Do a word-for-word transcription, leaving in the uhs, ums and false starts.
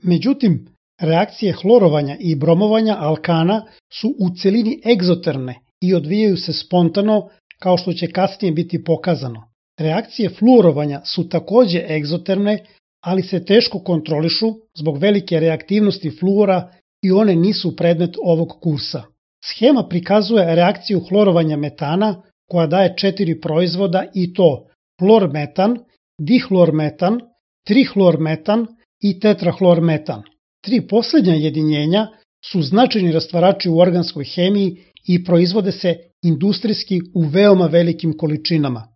Međutim, reakcije hlorovanja i bromovanja alkana su u celini egzoterne i odvijaju se spontano, kao što će kasnije biti pokazano. Reakcije fluorovanja su takođe egzoterne, ali se teško kontrolišu zbog velike reaktivnosti fluora i one nisu predmet ovog kursa. Schema prikazuje reakciju hlorovanja metana koja daje četiri proizvoda i to hlormetan, dihlormetan, trihlormetan i tetrahlormetan. Tri poslednja jedinjenja su značajni rastvarači u organskoj hemiji i proizvode se industrijski u veoma velikim količinama.